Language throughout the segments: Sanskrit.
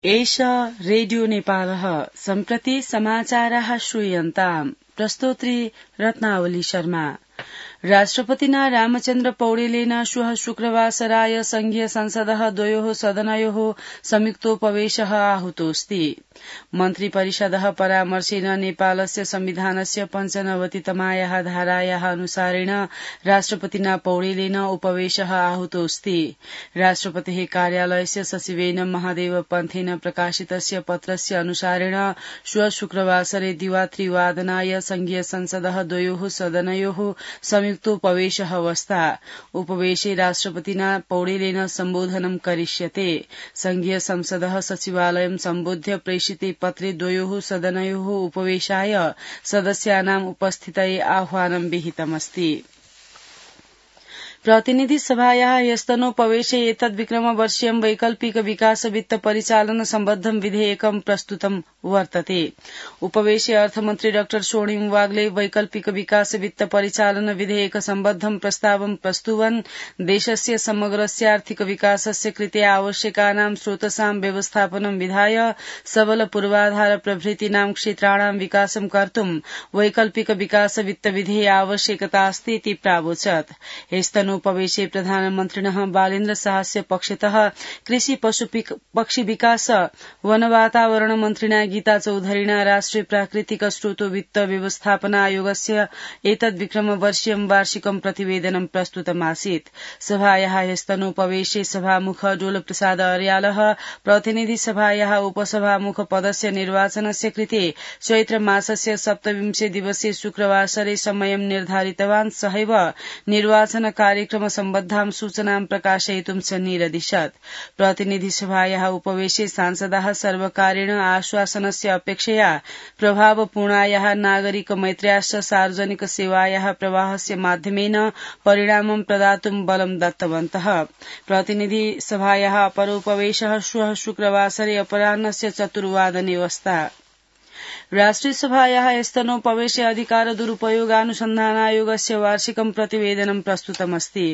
एष रेडियो नेपालः सम्प्रति समाचाराः श्रूयन्ताम्। प्रस्तोत्री रत्नावली शर्मा। राष्ट्रपतिना रामचन्द्र पौडेलेन श्वः शुक्रवासराय संघीय संसदः द्वयोः सदनयोः संयुक्तोपवेशः आहूतोऽस्ति। मन्त्रिपरिषदः परामर्शेन नेपालस्य संविधानस्य 95तमायाः धारायाः अनुसारेण राष्ट्रपतिना पौडेलेन उपवेशः आहूतोऽस्ति। राष्ट्रपतेः कार्यालयस्य सचिवेन महादेव पन्थेन प्रकाशितस्य पत्रस्य अनुसारेण श्वः शुक्रवासरे दिवात्रिवादनाय संघीय संसदः द्वयोः सदनयोः संयुक्तोपवेशः अवस्था। उपवेशे राष्ट्रपतिना पौडेलेन सम्बोधनं करिष्यते। संघीय संसदः सचिवालयं सम्बोध्य प्रेषिते पत्रे द्वयोः सदनयोः उपवेशाय सदस्यानाम् उपस्थितये आह्वानं विहितमस्ति। प्रतिनिधि सभायाः ह्यस्तनोपवेशे एतद्विक्रमवर्षीयं वैकल्पिक विकास वित्त परिचालन सम्बद्धं विधेयकं प्रस्तुतं वर्तते। उपवेशे अर्थमन्त्री डाक्टर स्वर्णिम वाग्ले वैकल्पिक विकास वित्त परिचालन विधेयक सम्बद्धं प्रस्तावं प्रस्तुवन् देशस्य समग्रस्यार्थिक विकासस्य कृते आवश्यकानां स्रोतसां व्यवस्थापनं विधाय सबल पूर्वाधार प्रभृतीनां क्षेत्राणां विकासं कर्तुं वैकल्पिक विकास वित्त विधेय आवश्यकता अस्ति इति प्रावोचत्। उपवेशे प्रधानमन्त्रिणः बालेन्द्र शाहस्य पक्षतः कृषि पशु पक्षी विकास वन वातावरण मन्त्रिणा गीता चौधरीणा राष्ट्रिय प्राकृतिक स्रोतो वित्त व्यवस्थापना आयोगस्य एतद्विक्रमवर्षीयं वार्षिकं प्रतिवेदनं प्रस्तुतमासीत्। सभायाः ह्यस्तनोपवेशे सभामुख डोल प्रसाद अर्यालः प्रतिनिधि सभायाः उपसभामुख पदस्य निर्वाचनस्य कृते चैत्र मासस्य 27 दिवसे शुक्रवासरे समयं निर्धारितवान्। सहैव निर्वाचन कार्यक्रम सम्बद्धां सूचनां प्रकाशयितुं च निरदिशत्। प्रतिनिधि सभायाः उपवेशे सांसदाः सर्वकारेण आश्वासनस्य अपेक्षया प्रभावपूर्णायाः नागरिक मैत्र्याश्च सार्वजनिक सेवायाः प्रवाहस्य माध्यमेन परिणामं प्रदातुं बलं दत्तवन्तः। प्रतिनिधि सभायाः अपरोपवेशः श्वः शुक्रवासरे अपराह्नस्य 4 वादने अवस्था। राष्ट्रिय सभायाः ह्यस्तनोपवेशे अधिकार दुरुपयोगानुसन्धानायोगस्य वार्षिकं प्रतिवेदनं प्रस्तुतमस्ति।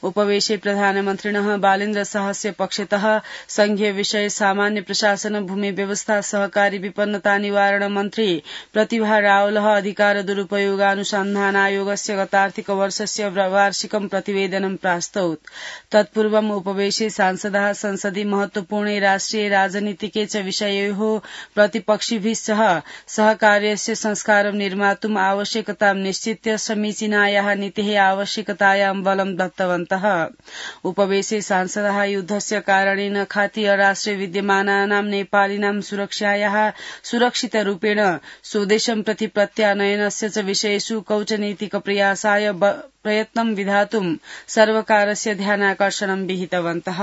उपवेशे प्रधानमन्त्रिणः बालेन्द्र शाहस्य पक्षतः संघीय विषय सामान्य प्रशासन भूमि व्यवस्था सहकारी विपन्नता निवारण मन्त्री प्रतिभा रावलः अधिकार दुरुपयोगानुसन्धानायोगस्य गतार्थिक वर्षस्य वार्षिकं प्रतिवेदनं प्रास्तौत्। तत्पूर्वम् उपवेशे सांसदाः संसदि महत्वपूर्णे राष्ट्रिय राजनीतिके च विषययोः प्रतिपक्षिभिः सह सहकार्यस्य संस्कारं निर्मातुम् आवश्यकतां निश्चित्य समीचीनायाः नीतेः आवश्यकतायां बलं दत्तवन्तः। उपवेशे सांसदाः युद्धस्य कारणेन खातीय राष्ट्रे विद्यमानानां नेपालिनां सुरक्षायाः सुरक्षितरूपेण स्वदेशं प्रति प्रत्यानयनस्य च विषयेषु कूटनीतिक प्रयासाय प्रयत्नं विधातुं सर्वकारस्य ध्यानाकर्षणं विहितवन्तः।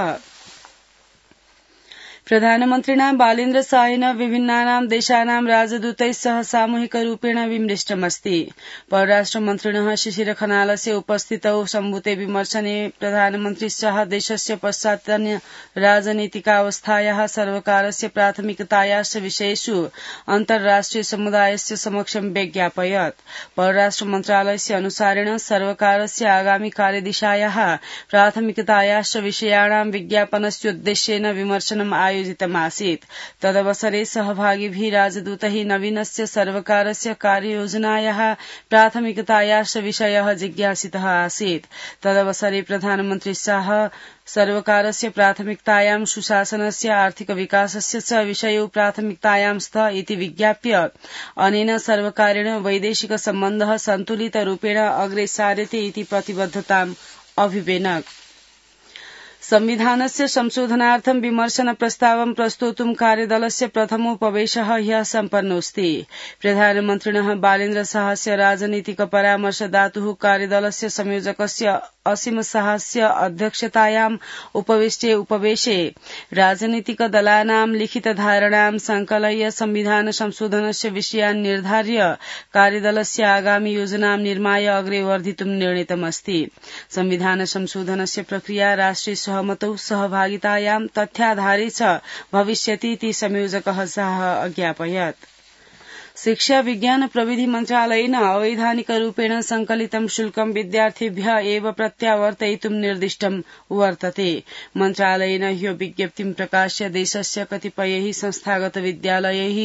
प्रधानमन्त्रिणा बालेन्द्र शाहेन विभिन्नानां देशानां राजदूतैः सह सामूहिकरूपेण विमृष्टमस्ति। परराष्ट्रमन्त्रिणः शिशिर खनालस्य उपस्थितौ सम्भूते विमर्शने प्रधानमन्त्री शाह देशस्य पश्चात्य राजनीतिकावस्थायाः सर्वकारस्य प्राथमिकतायाश्च विषयेषु अन्तर्राष्ट्रिय समुदायस्य समक्षं व्यज्ञापयत्। परराष्ट्र मन्त्रालयस्य अनुसारेण सर्वकारस्य आगामि कार्यदिशायाः प्राथमिकतायाश्च विषयाणां विज्ञापनस्योद्देश्येन विमर्शनम् आयोजितमासीत्। तदवसरे सहभागिभिः राजदूतैः नवीनस्य सर्वकारस्य कार्ययोजनायाः प्राथमिकतायाश्च विषयः जिज्ञासितः आसीत्। तदवसरे प्रधानमन्त्री शाह सर्वकारस्य प्राथमिकतायां सुशासनस्य आर्थिक विकासस्य च विषयो प्राथमिकतायां स्तः इति विज्ञाप्य अनेन सर्वकारेण वैदेशिक सम्बन्धः सन्तुलितरूपेण अग्रे सार्यते इति प्रतिबद्धताम् अभिव्यनक्। संविधानस्य संशोधनार्थं विमर्शन प्रस्तावं प्रस्तोतुं कार्यदलस्य प्रथमोपवेशः ह्यः सम्पन्नोऽस्ति। प्रधानमन्त्रिणः बालेन्द्र शाहस्य राजनीतिक परामर्शदातुः कार्यदलस्य संयोजकस्य असीम शाहस्य अध्यक्षतायाम् उपविष्टे उपवेशे राजनीतिक दलानां लिखित धारणां संकलय्य संविधान संशोधनस्य विषयान् निर्धार्य कार्यदलस्य आगामि योजनां निर्माय अग्रे वर्धितुं निर्णीतमस्ति। संविधान संशोधनस्य प्रक्रिया राष्ट्रिय सहमतौ सहभागितायां तथ्याधारे च भविष्यति इति संयोजकः शाह अज्ञापयत्। शिक्षा विज्ञान प्रविधि मन्त्रालयेन अवैधानिक रूपेण संकलितं शुल्कं विद्यार्थिभ्यः एव प्रत्यावर्तयितुं निर्दिष्टं वर्तते। मन्त्रालयेन ह्यो विज्ञप्तिं प्रकाश्य देशस्य कतिपयैः संस्थागत विद्यालयैः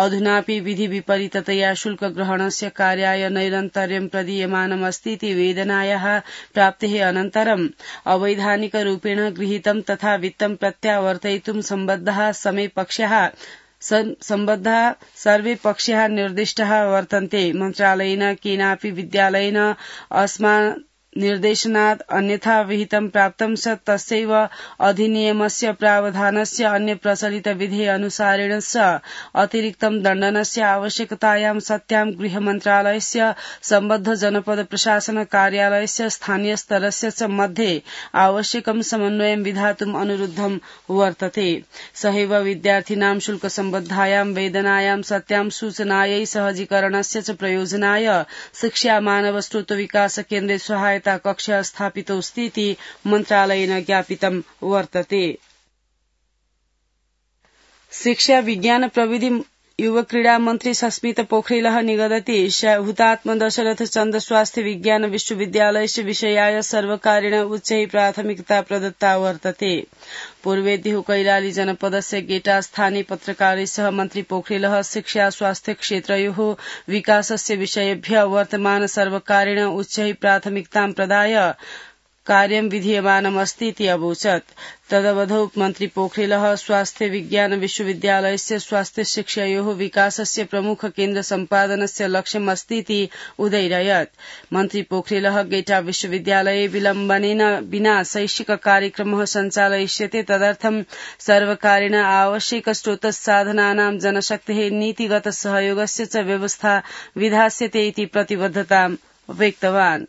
अधुनापि विधि विपरीततया शुल्क ग्रहणस्य कार्याय नैरन्तर्यं प्रदीयमानमस्तीति वेदनायाः प्राप्तेः अनन्तरम् अवैधानिक रूपेण गृहीतं तथा वित्तं प्रत्यावर्तयितुं सम्बद्धाः सर्वे पक्षाः निर्दिष्टाः वर्तन्ते। मन्त्रालयेन केनापि विद्यालयेन अस्मान् निर्देशनात् अन्यथा विहितं प्राप्तं स तस्यैव अधिनियमस्य प्रावधानस्य अन्य प्रचलित विधेः अनुसारेण स अतिरिक्तं दण्डनस्य आवश्यकतायां सत्यां गृहमन्त्रालयस्य सम्बद्ध जनपद प्रशासन कार्यालयस्य स्थानीय स्तरस्य च मध्ये आवश्यकं समन्वयं विधातुम् अनुरुद्धं वर्तते। सहैव विद्यार्थिनां शुल्क सम्बद्धायां वेदनायां सत्यां सूचनायै सहजीकरणस्य च प्रयोजनाय शिक्षा मानव स्रोत विकास केन्द्रे सहायता कक्ष स्थापितोऽस्तीति मन्त्रालयेन ज्ञापितं वर्तते। शिक्षा विज्ञान प्रविधि युव क्रीडा मन्त्री सस्मित पोखरिलः निगदति हुतात्म दशरथ चन्द स्वास्थ्य विज्ञान विश्वविद्यालयस्य विषयाय सर्वकारेण उच्चैः प्राथमिकता प्रदत्ता वर्तते। पूर्वेद्युः कैलाली जनपदस्य गेटा स्थाने पत्रकारैः सह मन्त्री पोखरिलः शिक्षा स्वास्थ्य क्षेत्रयोः विकासस्य विषयेभ्यः वर्तमान सर्वकारेण उच्चैः प्राथमिकतां प्रदाय कार्यं विधीयमानमस्तीति अवोचत्। तदवधौ मन्त्री पोखरिलः स्वास्थ्य विज्ञान विश्वविद्यालयस्य स्वास्थ्य शिक्षायोः विकासस्य प्रमुख केन्द्र सम्पादनस्य लक्ष्यमस्तीति उदैरयत्। मन्त्री पोखरिलः गेटा विश्वविद्यालये विलम्बनेन विना शैक्षिक कार्यक्रमः सञ्चालयिष्यते तदर्थं सर्वकारेण आवश्यक स्रोतसाधनानां जनशक्तेः नीतिगत सहयोगस्य च व्यवस्था विधास्यते इति प्रतिबद्धतां व्यक्तवान्।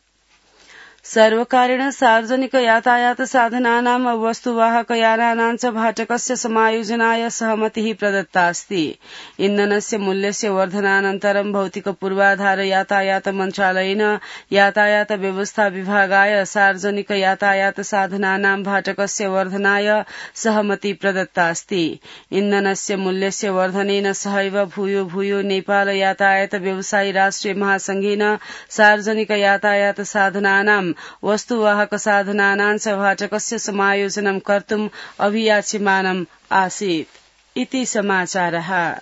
सर्वकारेण सार्वजनिक यातायात साधनानां वस्तुवाहक यानानां च भाटकस्य समायोजनाय सहमतिः प्रदत्ता अस्ति। इन्धनस्य मूल्यस्य वर्धनानन्तरं भौतिक पूर्वाधार यातायात मन्त्रालयेन यातायात व्यवस्था विभागाय सार्वजनिक यातायात साधनानां भाटकस्य वर्धनाय सहमति प्रदत्ता अस्ति। इन्धनस्य मूल्यस्य वर्धनेन सहैव भूयो नेपाल यातायात व्यवसायी राष्ट्रिय महासंघेन सार्वजनिक यातायात साधनानां वस्तुवाहक साधनानां च भाटकस्य समायोजनं कर्तुम् अभियाच्यमानम् आसीत् इति समाचारः।